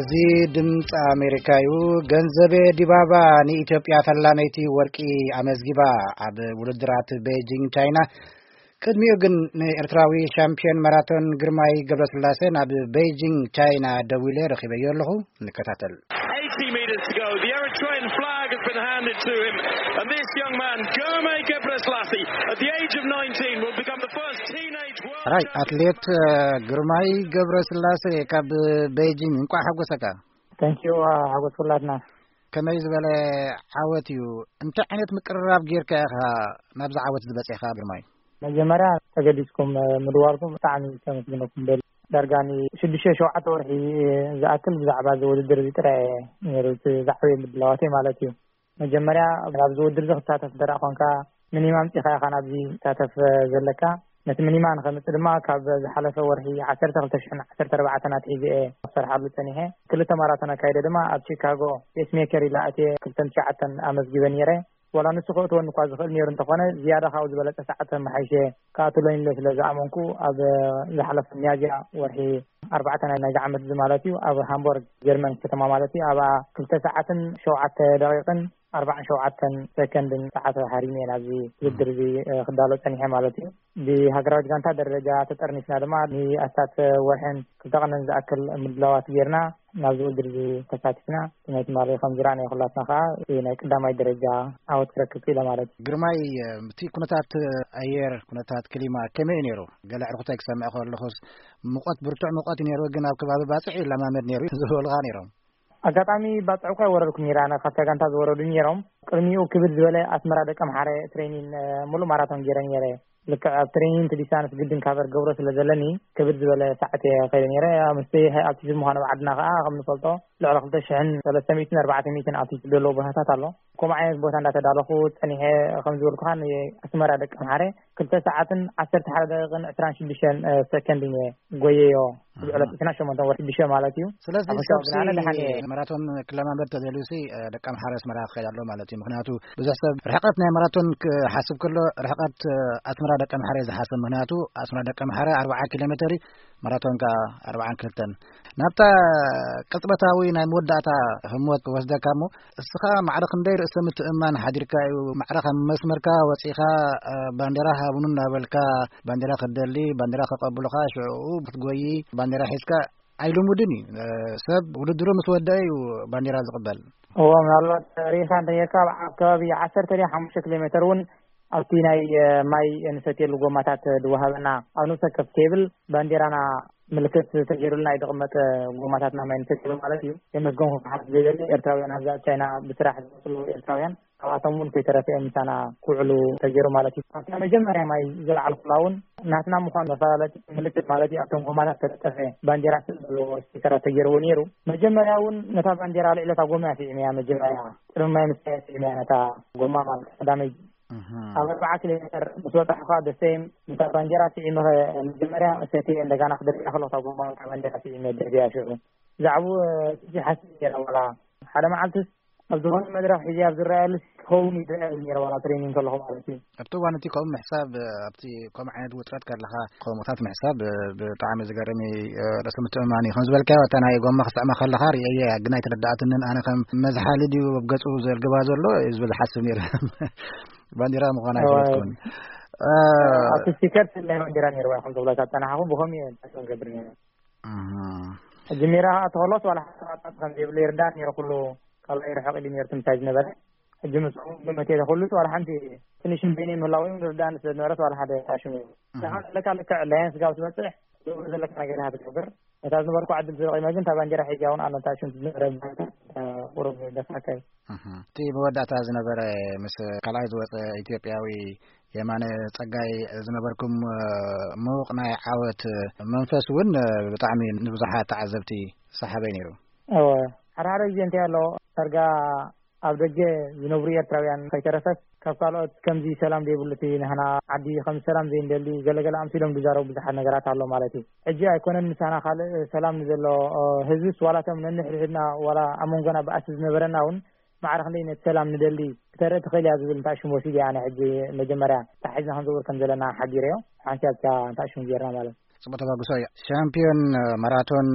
እዚ ድምፂ ኣሜሪካ እዩ። ገንዘቤ ዲባባ ንኢትዮጵያ ፈላመይቲ ወርቂ ኣመዝጊባ ኣብ ውድድራት ቤጂንግ ቻይና። ቅድሚኡ ግን ንኤርትራዊ ሻምፒዮን ማራቶን ግርማይ ገብረስላሴ ናብ ቤጂንግ ቻይና ደዊለ ረኺበዮ ኣለኹ። ንከታተል። eighty metres to go. The Eritrean flag has been handed to him. And this young man, Germe Gebrselassie, at the age of nineteen, will become the first teenage world ራይ champion. ኣትሌት ግርማይ ገብረስላሴ ካብ ቤጂንግ፣ እንቋዕ ሓጎሰካ። Thank you፣ ሓጎስ ኩላትና። ከመይ ዝበለ ዓወት እዩ? እንታይ ዓይነት ምቅርራብ ጌርካ ኢኻ ናብዚ ዓወት ዝበጺሕካ ግርማይ? መጀመርያ ተገዲስኩም ምድዋልኩም ብጣዕሚ ከመስግነኩም ደሊ። ዳርጋ ንሽዱሽተ ሸውዓተ ወርሒ ዝኣክል ብዛዕባ እዚ ውድድር እዚ ጥራይ ነይሩ እቲ ዝዓበየ ምድላዋተይ ማለት እዩ። መጀመርያ ናብዚ ውድድር እዚ ክሳተፍ እንተ ደኣ ኾንካ፣ ሚኒማ ኣምጺኻ ኢኻ ናብዚ ትሳተፍ ዘለካ። ነቲ ሚኒማ ንኸምጽእ ድማ ካብ ዝሓለፈ ወርሒ ዓሰርተ ክልተ ሽሕን ዓሰርተ ኣርባዕተን ኣትሒዘ እየ ክሰርሓሉ ጸኒሐ። ክልተ ማራቶን ኣካይደ ድማ ኣብ ቺካጎ ፔስሜከር ኢለ ኣትየ ክልተን ትሽዓተን ኣመዝጊበ ነይረ። ዋላ ንሱ ከእትወኒ እኳ ዝኽእል ነይሩ እንተኾነ፣ ዝያዳ ካብኡ ዝበለጸ ሰዓት ተመሓይሸ ክኣትወኒ ኢለ ስለ ዝኣመንኩ፣ ኣብ ዝሓለፈ ሚያዝያ ወርሒ ኣርባዕተ ናይ ናይዚ ዓመት እዚ ማለት እዩ፣ ኣብ ሃምቦርግ ጀርመን ከተማ ማለት እዩ፣ ኣብኣ ክልተ ሰዓትን ሸውዓተ ደቂቕን ኣርባዓን ሸውዓተን ሰከንድን ሰዓት ሃሪመ እየ ናብዚ ውድድር እዚ፣ እ፣ ክዳሎ ጸኒሐ ማለት እዩ። ብሃገራዊት ጋንታ ደረጃ ተጠርኒፍና ድማ ንኣስታት ወርሕን ክልተ ቀንን ዝኣክል ምድላዋት ጌርና ናብዚ ውድድር እዚ ተሳቲፍና። እቲ ናይ ትማሊ ከም ዝረኣናዮ ኩላትና ከኣ እቲ ናይ ቀዳማይ ደረጃ ዓወት ክረክብ ክኢለ ማለት እዩ። ግርማይ፣ እቲ ኩነታት ኣየር፣ ኩነታት ክሊማ ከመይ እዩ ነይሩ? ገለ ኣዕሩኽተይ ክሰምዕ ከለኹስ፣ ሙቐት፣ ብርቱዕ ሙቐት እዩ ነይሩ፣ ግን ኣብ ከባቢ ባጽዕ ይለማመድ ነይሩ ዝበሉኻ ነይሮም። ኣጋጣሚ ባጽዕ እኳ ኣይወረድኩን ነይረ፣ ኣነ ካብታ ጋንታ ዝወረዱ ነይሮም። ቅድሚኡ ክብድ ዝበለ ኣስመራ ደቀምሓረ ትሬኒን፣ እ፣ ሙሉእ ማራቶን ገይረ ነይረ። ልክዕ ኣብ ትሬኒን እቲ ዲስታንስ ግድን ካቨር ገብሮ ስለ ዘለኒ፣ ክብድ ዝበለ ሰዓት እየ ከይደ ነይረ። ምስቲ ኣብቲ ዝምዃኑ ኣብ ዓድና ከኣ ከም ንፈልጦ ልዕሊ ክልተ ሽሕን ሰለስተ ሚእትን ኣርባዕተ ሚእትን ኣልቲቱድ ዘለዎ ቦታታት ኣሎ። ከምኡ ዓይነት ቦታ እንዳተዳለኹ ጸኒሐ፣ ከም ዝበልኩኻ ንኣስመራ ደቀምሓረ ክልተ ሰዓትን ዓሰርተ ሓደ ደቂቕን ዕስራን ሽዱሽተን፣ እ፣ ሰከንድን እየ ጎየዮ። ኣብ ዕለት ዕስራን ሸሞንተን ወርሒ ሽዱሽተ ማለት እዩ። ስለዚ ኣብ ሰብ ሕሳብ ግን ኣነ ደሓን እየ። ማራቶን ክለማመድ ተደልዩሲ፣ እ፣ ደቀምሓረ ኣስመራ ክኸይድ ኣለዎ ማለት እዩ። ምኽንያቱ ብዙሕ ሰብ ርሕቀት ናይ ማራቶን ክሓስብ ከሎ ርሕቀት፣ እ፣ ኣስመራ ደቀምሓረ እዩ ዝሓስብ። ምኽንያቱ ኣስመራ ደቀምሓረ ኣርብዓ ኪሎ ሜተር እዩ፣ ማራቶን ከኣ ኣርብዓን ክልተን። ናብታ ቅጽበታዊ ናይ መወዳእታ ህሞት ክወስደካ እሞ፣ እስኻ ማዕረ ክንደይ ርእሰ ምትእምማን ሓዲርካ እዩ? ማዕረ ካብ መስመርካ ወጺኻ፣ እ፣ ባንዴራ ሃቡኒ እናበልካ፣ ባንዴራ ክትደሊ፣ ባንዴራ ከቀብሉኻ፣ ሽዑ ክትጎዪ፣ ባንዴራ ሒዝካ ኣይልሙድን እዩ። እ፣ ሰብ ውድድሩ ምስ ወደአ እዩ ባንዴራ ዝቕበል። እዎ፣ ምናልባት ርኢኻ እንተኔርካ፣ ኣብ ከባቢ ዓሰርተ ድያ ሓሙሽተ ኪሎ ሜተር እውን ኣብቲ ናይ፣ እ፣ ማይ እንሰትየሉ ጎማታት ድወሃበና፣ ኣብ ነፍሲ ወከፍ ቴብል ባንዴራና ምልክት ተገይሩልና እዩ ዝቕመጥ፣ ጎማታትና ማይ ንሰትየሉ ማለት እዩ። የመስገንኩ ክሓት ዘይደሊ ኤርትራውያን ኣብዛ ኣብ ቻይና ብስራሕ ዝመፅሉ ኤርትራውያን፣ ካብኣቶም እውን ከይተረፈ እዮም ምሳና ክውዕሉ ተገይሩ ማለት እዩ። ኣብታ መጀመርያ ማይ ዝለዓልኩላ እውን ናትና ምዃኑ መፈላለጢ ምልክት ማለት እዩ፣ ኣብቶም ጎማታት ተለጠፈ ባንዴራ ስእሊ ዘለዎ ስቲከራት ተገይርዎ ነይሩ። መጀመርያ እውን ነታ ባንዴራ ልዕሊ እታ ጎማ ስዒመያ፣ መጀመርያ ቅድሚ ማይ ምስታይ ስዒመያ ነታ ጎማ ማለት ቀዳመይ እህ። ኣብ ኣርብዓ ኪሎ ሜተር ምስ በጻሕኩ ከኣ ደሰይም ነታ ባንዴራ ስዒመ፣ መጀመርያ ሰትየ እንደገና ክደርብያ ከለኹ እታ ጎማ እታ ባንዴራ ስዒመ ደርብያ ሽዑ። ብዛዕባኡ፣ እ፣ ትንሽ ሓሲብ ነይረ፣ ዋላ ሓደ መዓልትስ ኣብ ዝኾነ መድረኽ ሒዘ ኣብ ዝረኣየሉ ክኸውን እዩ ዝረኣየሉ ነይረ፣ ዋላ ትሬኒንግ ከለኹ ማለት እዩ። ኣብቲ እዋን እቲ ከምኡ ምሕሳብ፣ ኣብቲ ከምኡ ዓይነት ውጥረት ከለኻ ከምኡታት ምሕሳብ፣ እ፣ ብጣዕሚ ዝገርም እዩ፣ እ፣ ርእሰ ምትእምማን እዩ። ከም ዝበልካዮ፣ እታ ናይ ጎማ ክስዕማ ከለኻ ርእየያ፣ ግን ኣይተረድኣትንን። ኣነ ከም መዝሓሊ ድዩ ኣብ ገጹ ዘልግባ ዘሎ እዩ ዝብል ሓስብ ነይረ። ባንዴራ ምዃና እዋ። ኣይፈለጥኩን። እ፣ ኣብቲ ስቲከር ናይ ባንዴራ ነይርዋ፣ ከም ዝብለካ ዝጸናሕኹ ብኸምኡ እየ ንገብር ነይረ። እህ። ሕጂ ሜዳ ከኣ ተኸሎስ ዋላ ሓደ ኣጣጥ ከም ዘይብሉ ይርዳእ ነይሩ፣ ኩሉ ካልኣይ ርሕቕ ኢሉ ነይሩ፣ ትምታይ ዝነበረ። ሕጂ ምስኡ ግምት እየ፣ ኩሉስ ዋላ ሓንቲ ትንሽ በይነይ ምህላው እዩ፣ ርዳእኒ ስለ ዝነበረስ ዋላ ሓደ ታሽሙ እዩ። እህ። ንኻ ዘለካ ልክዕ ኣላያንስ ጋብ ትበጽሕ፣ ዝብሉ ዘለካ ነገር ኢኻ ትገብር። ነታ ዝነበርኩ ዕድል ተጠቒመ ግን፣ እታ ባንዴራ ሒዛ እውን ኣነ ታሽም ዝነበረ ባይታ፣ ቁሩብ ደፋካይ። እህ። እቲ መወዳእታ ዝነበረ ምስ ካልኣይ ዝወጸ ኢትዮጵያዊ የማነ ጸጋይ ዝነበርኩም፣ እ፣ ምዉቕ ናይ ዓወት መንፈስ እውን፣ እ፣ ብጣዕሚ ንብዙሓት ተዓዘብቲ ሰሓበይ ነይሩ። እወ፣ ሓደ ሓደ ግዜ እንታይ ኣሎ፣ ዳርጋ ኣብ ደገ ዝነብሩ ኤርትራውያን ከይተረፈስ፣ ካብ ካልኦት ከምዚ ሰላም ዘይብሉ፣ እቲ ናህና ዓዲ ከም ሰላም ዘይንደሊ፣ ገለገለ ኣምሲሎም ዝዛረቡ ብዙሓት ነገራት ኣሎ ማለት እዩ። ሕጂ ኣይኮነን ምሳና ካልእ ሰላም ንዘሎ፣ እ፣ ህዝብስ፣ ዋላ እቶም ነንሕድሕድና፣ ዋላ ኣብ መንጎና ባእሲ ዝነበረና እውን፣ ማዕረ ክንደይ ነቲ ሰላም ንደሊ፣ ክተርኢ ትኽእል እያ ዝብል እንታይ ሽም ወሲደ እየ ኣነ ሕጂ መጀመርያ እንታይ ሒዝና ክንዝውር ከም ዘለና ሓቢረዮ። ሓንቲ ኣብታ እንታይ ሽም ጌርና ማለት። ጽቡቅ ተባግሶ እዩ። ሻምፒዮን ማራቶን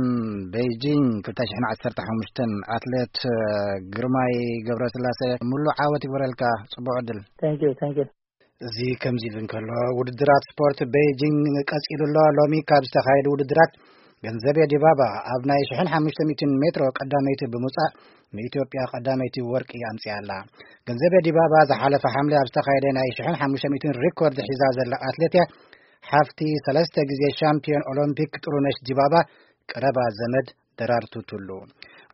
ቤጂንግ ክልተ ሽሕን ዓሰርተ ሓሙሽተን ኣትሌት ግርማይ ገብረስላሴ፣ ሙሉእ ዓወት ይግበረልካ። ጽቡቅ ዕድል። Thank you, thank you. እዚ ከምዚ ኢሉ እንከሎ፣ ውድድራት ስፖርት ቤጂንግ ቀጺሉ ኣሎ። ሎሚ ካብ ዝተኻየዱ ውድድራት፣ ገንዘቤ ዲባባ ኣብ ናይ ሽሕን ሓሙሽተ ሚእትን ሜትሮ ቀዳመይቲ ብምውጻእ፣ ንኢትዮጵያ ቀዳመይቲ ወርቂ ኣምጺኣ ኣላ። ገንዘቤ ዲባባ ዝሓለፈ ሓምለ ኣብ ዝተኻየደ ናይ ሽሕን ሓሙሽተ ሚእትን ሪኮርድ ሒዛ ዘላ ኣትሌት እያ። ሓፍቲ ሰለስተ ግዜ ሻምፒዮን ኦሎምፒክ ጥሩነሽ ዲባባ ቀረባ ዘመድ ደራርቱ ቱሉ።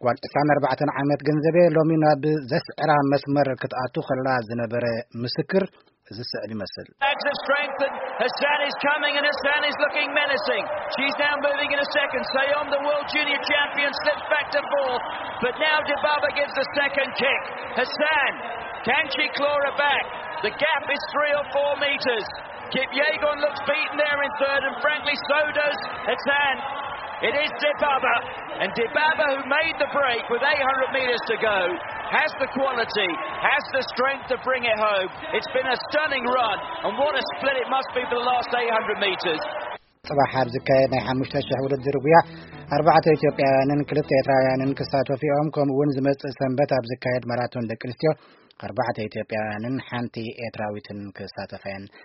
ጓል ዕስራን ኣርባዕተን ዓመት ገንዘቤ ሎሚ ናብ ዘስዕራ መስመር ክትኣቱ ከላ ዝነበረ ምስክር እዚ ስዕል ይመስል። Bags of strength, and Hassan is coming, and Hassan is looking menacing. She's now moving in a second. Sayom, the world junior champion, slips back to fourth, but now Dibaba gives the second kick. Hassan, can she claw her back? The gap is three or four metres. Kipyegon looks beaten there in third, and frankly, so does Hassan. It is Dibaba, and Dibaba, who made the break with eight hundred metres to go, has the quality, has the strength to bring it home. It's been a stunning run, and what a split it must be for the last eight hundred metres. ጽባሕ ኣብ ዝካየድ ናይ ሓሙሽተ ሽሕ ውድድር ጉያ፣ ኣርባዕተ ኢትዮጵያውያንን ክልተ ኤርትራውያንን ክሳተፉ እዮም። ከምኡ እውን ዝመጽእ ሰንበት ኣብ ዝካየድ ማራቶን ደቂ ኣንስትዮ፣ ኣርባዕተ ኢትዮጵያውያንን ሓንቲ ኤርትራዊትን ክሳተፋ እየን።